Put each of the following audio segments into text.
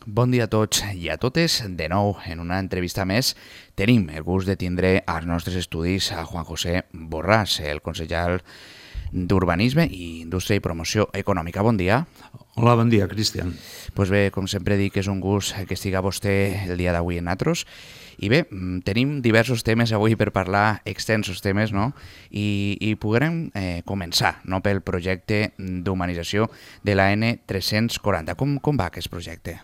Bon dia a tots i a totes. De nou, en una entrevista més, tenim el gust de tindre als nostres estudis a Juan José Borràs, el consellal d'Urbanisme i Indústria i Promoció Econòmica. Bon dia. Hola, bon dia, Cristian. Pues bé, com sempre dic, és un gust que estiga vostè el dia d'avui en nosaltres. I bé, tenim diversos temes avui per parlar, extensos temes, no? I podrem començar, no?, pel projecte d'humanització de la N340. Com va aquest projecte?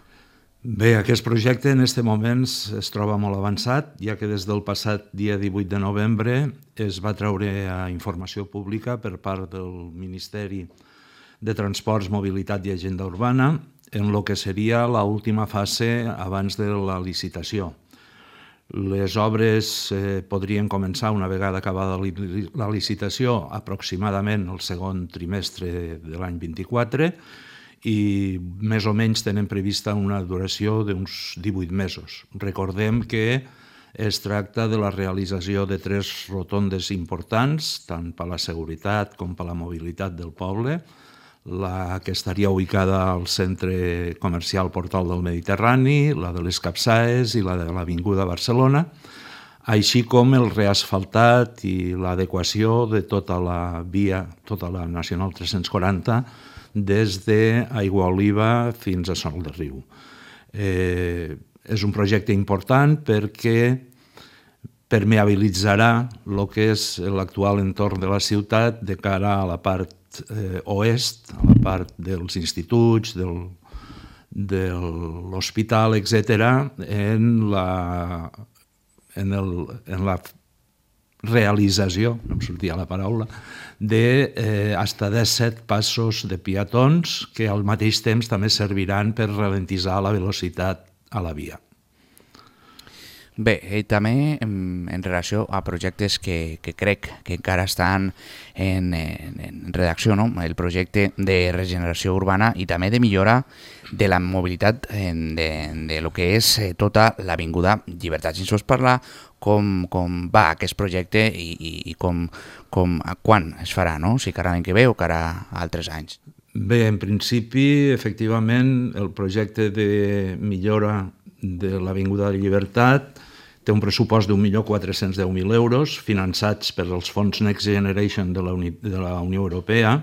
Bé, aquest projecte en aquest moment es troba molt avançat, ja que des del passat dia 18 de novembre es va treure a informació pública per part del Ministeri de Transports, Mobilitat i Agenda Urbana en el que seria l'última fase abans de la licitació. Les obres podrien començar una vegada acabada la licitació aproximadament el segon trimestre de l'any 24 i més o menys tenen prevista una duració d'uns 18 mesos. Recordem que es tracta de la realització de 3 rotondes importants, tant per la seguretat com per la mobilitat del poble, la que estaria ubicada al centre comercial Portal del Mediterrani, la de les Capçaes i la de l'Avinguda Barcelona, així com el reasfaltat i l'adequació de tota la via, tota la Nacional 340, des d'Aiguaoliva fins a Sol de Riu. És un projecte important perquè permeabilitzarà el que és l'actual entorn de la ciutat de cara a la part oest, a la part dels instituts, de l'hospital, etc., en la realització, no em sortia la paraula, de hasta 17 passos de peatons que al mateix temps també serviran per ralentitzar la velocitat a la via. Bé, també en relació a projectes que crec que encara estan en redacció, no? El projecte de regeneració urbana i també de millora de la mobilitat de lo que és tota l'Avinguda Llibertat. Si ens vols parlar com va aquest projecte i quan es farà, no? Si cara l'any que ve o cara altres anys. Bé, en principi, efectivament, el projecte de millora de l'Avinguda de Llibertat té un pressupost d'1.410.000 euros finançats per els fons Next Generation de la Unió Europea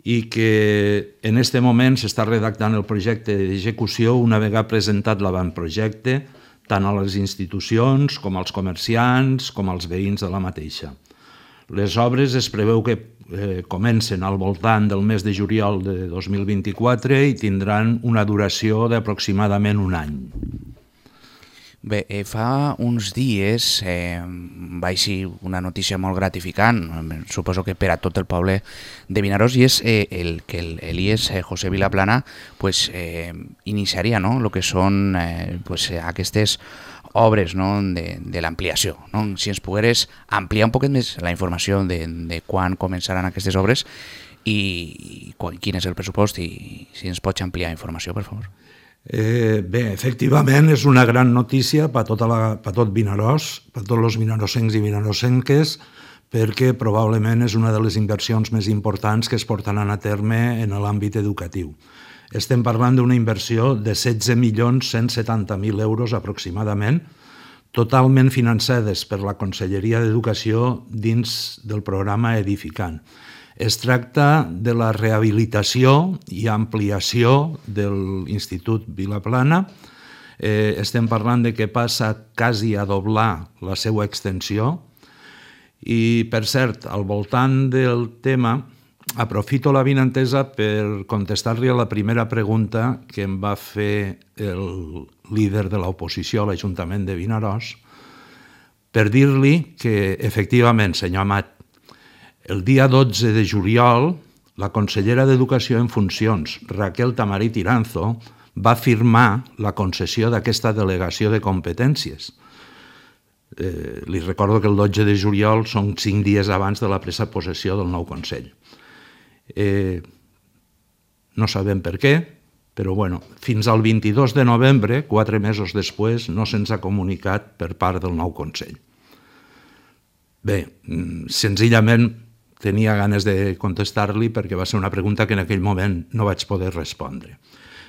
i que en aquest moment s'està redactant el projecte d'execució una vegada presentat l'avantprojecte tant a les institucions com als comerciants com als veïns de la mateixa. Les obres es preveu que comencen al voltant del mes de juliol de 2024 i tindran una duració d'aproximadament un any. Bé, fa uns dies va eixir una notícia molt gratificant, suposo que per a tot el poble de Vinaròs, i és que l'IES José Vilaplana iniciaria el que són aquestes obres de l'ampliació. Si ens pogueres ampliar un poquet més la informació de quan començaran aquestes obres i quin és el pressupost i si ens pots ampliar informació, per favor. Bé, efectivament és una gran notícia per tot Vinaròs, per tots els vinarossencs i vinarossenques, perquè probablement és una de les inversions més importants que es portaran a terme en l'àmbit educatiu. Estem parlant d'una inversió de 16.170.000 euros aproximadament, totalment finançades per la Conselleria d'Educació dins del programa Edificant. Es tracta de la rehabilitació i ampliació de l'Institut Vilaplana. Estem parlant de que passa quasi a doblar la seva extensió. I, per cert, al voltant del tema, aprofito l'avinentesa per contestar-li a la primera pregunta que em va fer el líder de l'oposició a l'Ajuntament de Vinaròs per dir-li que, efectivament, senyor Amat, el dia 12 de juliol, la consellera d'Educació en funcions, Raquel Tamarit Iranzo, va firmar la concessió d'aquesta delegació de competències. Li recordo que el 12 de juliol són 5 dies abans de la presa de possessió del nou Consell. No sabem per què, però fins al 22 de novembre, 4 mesos després, no se'ns ha comunicat per part del nou Consell. Bé, senzillament tenia ganes de contestar-li perquè va ser una pregunta que en aquell moment no vaig poder respondre.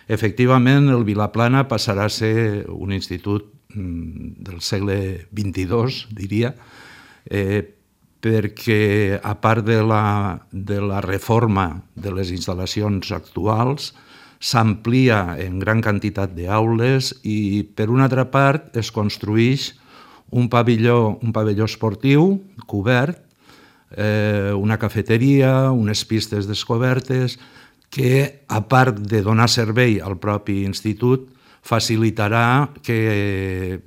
Efectivament, el Vilaplana passarà a ser un institut del segle XXII, diria, perquè a part de la reforma de les instal·lacions actuals, s'amplia en gran quantitat d'aules i, per una altra part, es construeix un pavelló esportiu cobert, una cafeteria, unes pistes descobertes, que, a part de donar servei al propi institut, facilitarà que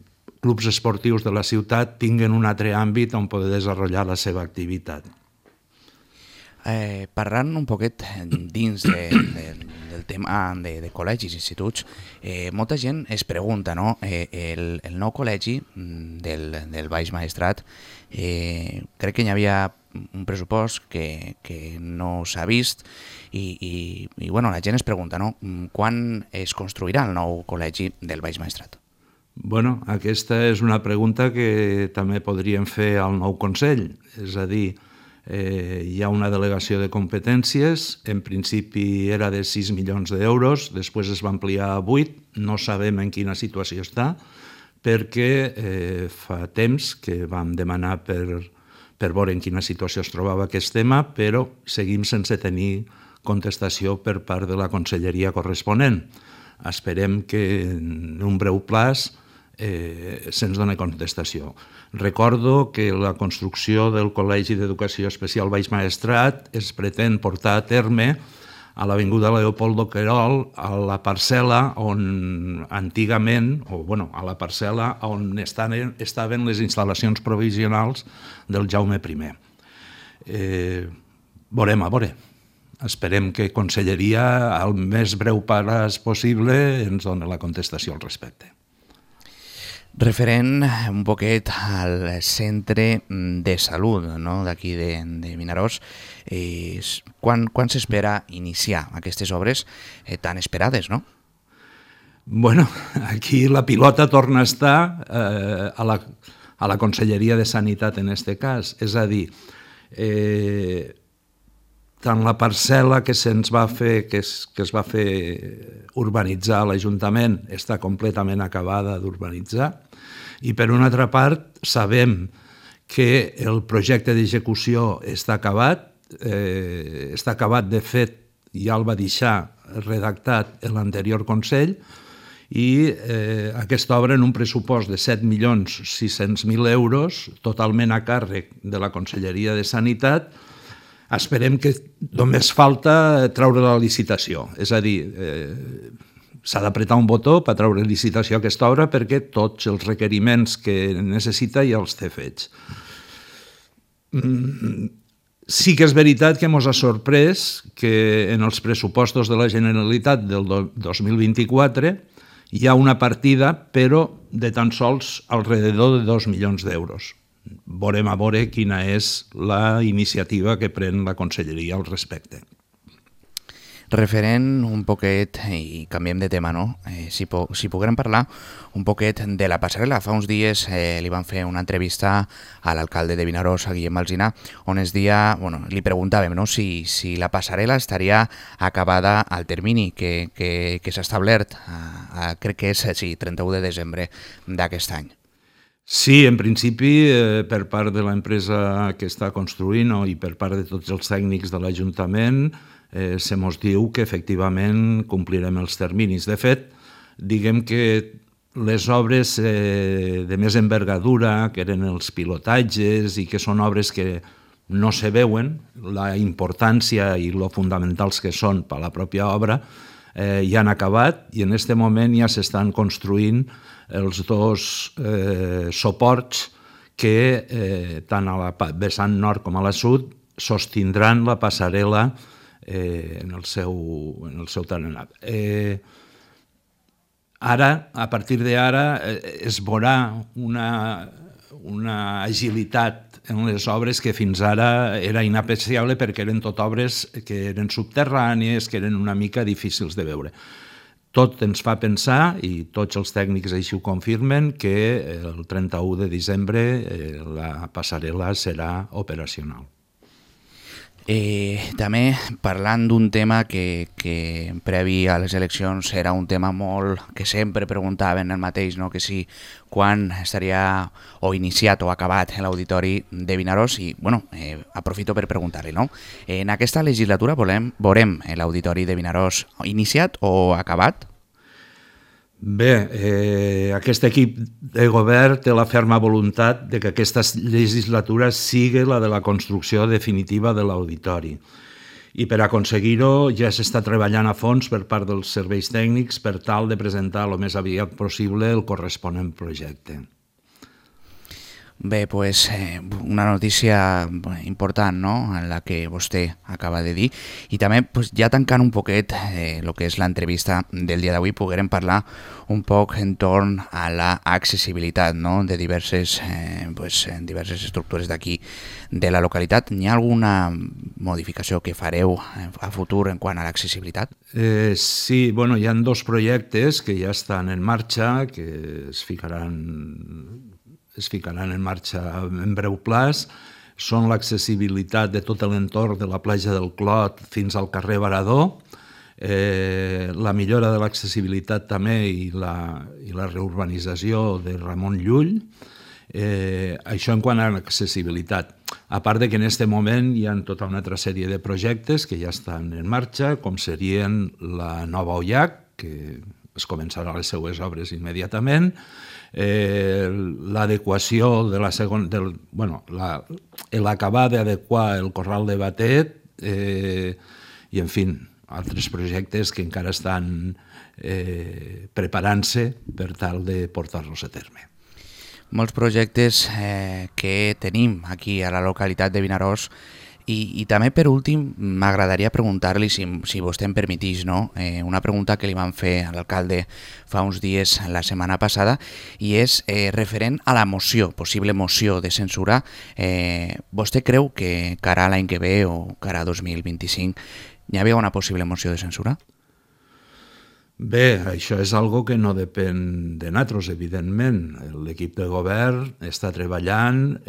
clubs esportius de la ciutat tinguin un altre àmbit on poder desenvolupar la seva activitat. Parlant un poquet dins del tema de col·legis i instituts, molta gent es pregunta, no? El nou col·legi del Baix Maestrat, crec que hi havia un pressupost que no s'ha vist i bueno, la gent es pregunta, no? Quan es construirà el nou col·legi del Baix Maestrat? Bueno, aquesta és una pregunta que també podríem fer al nou Consell, és a dir, hi ha una delegació de competències, en principi era de 6 milions d'euros, després es va ampliar a 8, no sabem en quina situació està, perquè fa temps que vam demanar per veure en quina situació es trobava aquest tema, però seguim sense tenir contestació per part de la conselleria corresponent. Esperem que en un breu plaç se'ns doni contestació. Recordo que la construcció del Col·legi d'Educació Especial Baix Maestrat es pretén portar a terme a l'avinguda Leopoldo Querol, a la parcel·la on antigament, a la parcel·la on estaven les instal·lacions provisionals del Jaume I. Veurem a veure. Esperem que Conselleria, al més breu pas possible, ens doni la contestació al respecte. Referent un poquet al centre de salut d'aquí de Vinaròs, quan s'espera iniciar aquestes obres tan esperades, no? Bueno, aquí la pilota torna a estar a la Conselleria de Sanitat en aquest cas, és a dir, tant la parcel·la que es va fer urbanitzar a l'Ajuntament està completament acabada d'urbanitzar i, per una altra part, sabem que el projecte d'execució està acabat, de fet, ja el va deixar redactat l'anterior Consell i aquesta obra en un pressupost de 7.600.000 euros, totalment a càrrec de la Conselleria de Sanitat. Esperem que només falta treure la licitació, és a dir, s'ha d'apretar un botó per treure licitació a aquesta obra perquè tots els requeriments que necessita ja els té fets. Sí que és veritat que ens ha sorprès que en els pressupostos de la Generalitat del 2024 hi ha una partida, però de tan sols alrededor de 2 milions d'euros. Veurem a veure quina és la iniciativa que pren la Conselleria al respecte. Referent un poquet, i canviem de tema, no? Si poguem parlar un poquet de la passarel·la. Fa uns dies li van fer una entrevista a l'alcalde de Vinaròs, a Guillem Alsina, on li preguntàvem si la passarel·la estaria acabada al termini que s'ha establert, crec que és 31 de desembre d'aquest any. Sí, en principi, per part de l'empresa que està construint i per part de tots els tècnics de l'Ajuntament, se mos diu que efectivament complirem els terminis. De fet, diguem que les obres de més envergadura, que eren els pilotatges i que són obres que no se veuen, la importància i lo fonamentals que són per a la pròpia obra, ja han acabat i en aquest moment ja s'estan construint els dos suports que tant a la vessant nord com a la sud sostindran la passarel·la en el seu tarannat. Ara, a partir d'ara, es veurà una agilitat en les obres que fins ara era inapreciable perquè eren tot obres que eren subterrànies, que eren una mica difícils de veure. Tot ens fa pensar, i tots els tècnics així ho confirmen, que el 31 de desembre la passarel·la serà operacional. També parlant d'un tema que previ a les eleccions era un tema molt que sempre preguntaven el mateix, no? Que si quan estaria o iniciat o acabat l'auditori de Vinaròs i aprofito per preguntar-li, no? En aquesta legislatura veurem l'auditori de Vinaròs iniciat o acabat? Bé, aquest equip de govern té la ferma voluntat de que aquesta legislatura sigui la de la construcció definitiva de l'auditori. I per aconseguir-ho ja s'està treballant a fons per part dels serveis tècnics per tal de presentar el més aviat possible el corresponent projecte. Bé, pues, una notícia important, no?, en la que vostè acaba de dir. I també, pues, ja tancant un poquet el que és l'entrevista del dia d'avui, poguérem parlar un poc entorn a l'accessibilitat, no?, de diverses estructures d'aquí de la localitat. Hi ha alguna modificació que fareu a futur en quant a l'accessibilitat? Sí, bueno, hi ha dos projectes que ja estan en marxa, que es ficaran en marxa en breu plaç. Són l'accessibilitat de tot l'entorn de la platja del Clot fins al carrer Varador, la millora de l'accessibilitat també i la reurbanització de Ramon Llull. Això en quant a l'accessibilitat. A part de que en aquest moment hi ha tota una altra sèrie de projectes que ja estan en marxa, com serien la nova Ollac, que es començaran les seues obres immediatament, l'adequació de l'acabar d'adequar el corral de Batet i, en fi, altres projectes que encara estan preparant-se per tal de portar-los a terme. Molts projectes que tenim aquí a la localitat de Vinaròs. I també, per últim, m'agradaria preguntar-li, si vostè em permetís, no? Una pregunta que li van fer a l'alcalde fa uns dies la setmana passada, i és referent a la moció, possible moció de censura. Vostè creu que cara a l'any que ve o cara a 2025 hi havia una possible moció de censura? Bé, això és algo que no depèn de nosaltres, evidentment. L'equip de govern està treballant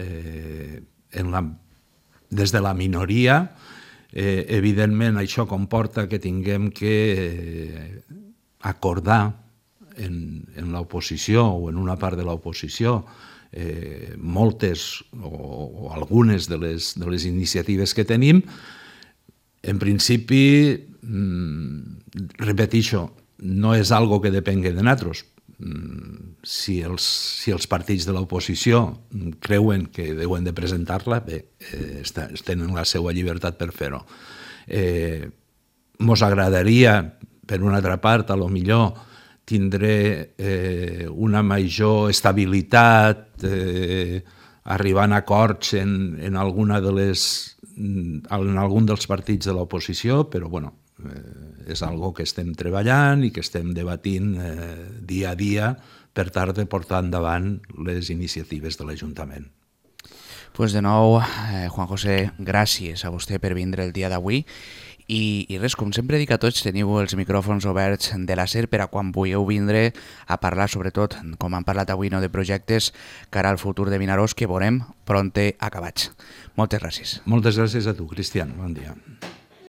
des de la minoria. Evidentment, això comporta que tinguem que acordar en l'oposició o en una part de l'oposició moltes o algunes de les iniciatives que tenim. En principi, repeteixo, no és algo que depengui de nosaltres. Si els partits de l'oposició creuen que deuen de presentar-la, bé, tenen la seva llibertat per fer-ho. Mos agradaria, per una altra part, a lo millor tindre una major estabilitat, arribant a acords en algun dels partits de l'oposició, però bueno, és algo que estem treballant i que estem debatint dia a dia per tal de portar endavant les iniciatives de l'Ajuntament. Pues de nou, Juan José, gràcies a vostè per vindre el dia d'avui. I res, com sempre dic a tots, teniu els micròfons oberts de la SER per a quan vulgueu vindre a parlar, sobretot, com han parlat avui, de projectes cara al futur de Vinaròs, que veurem prompte acabats. Moltes gràcies. Moltes gràcies a tu, Cristian. Bon dia.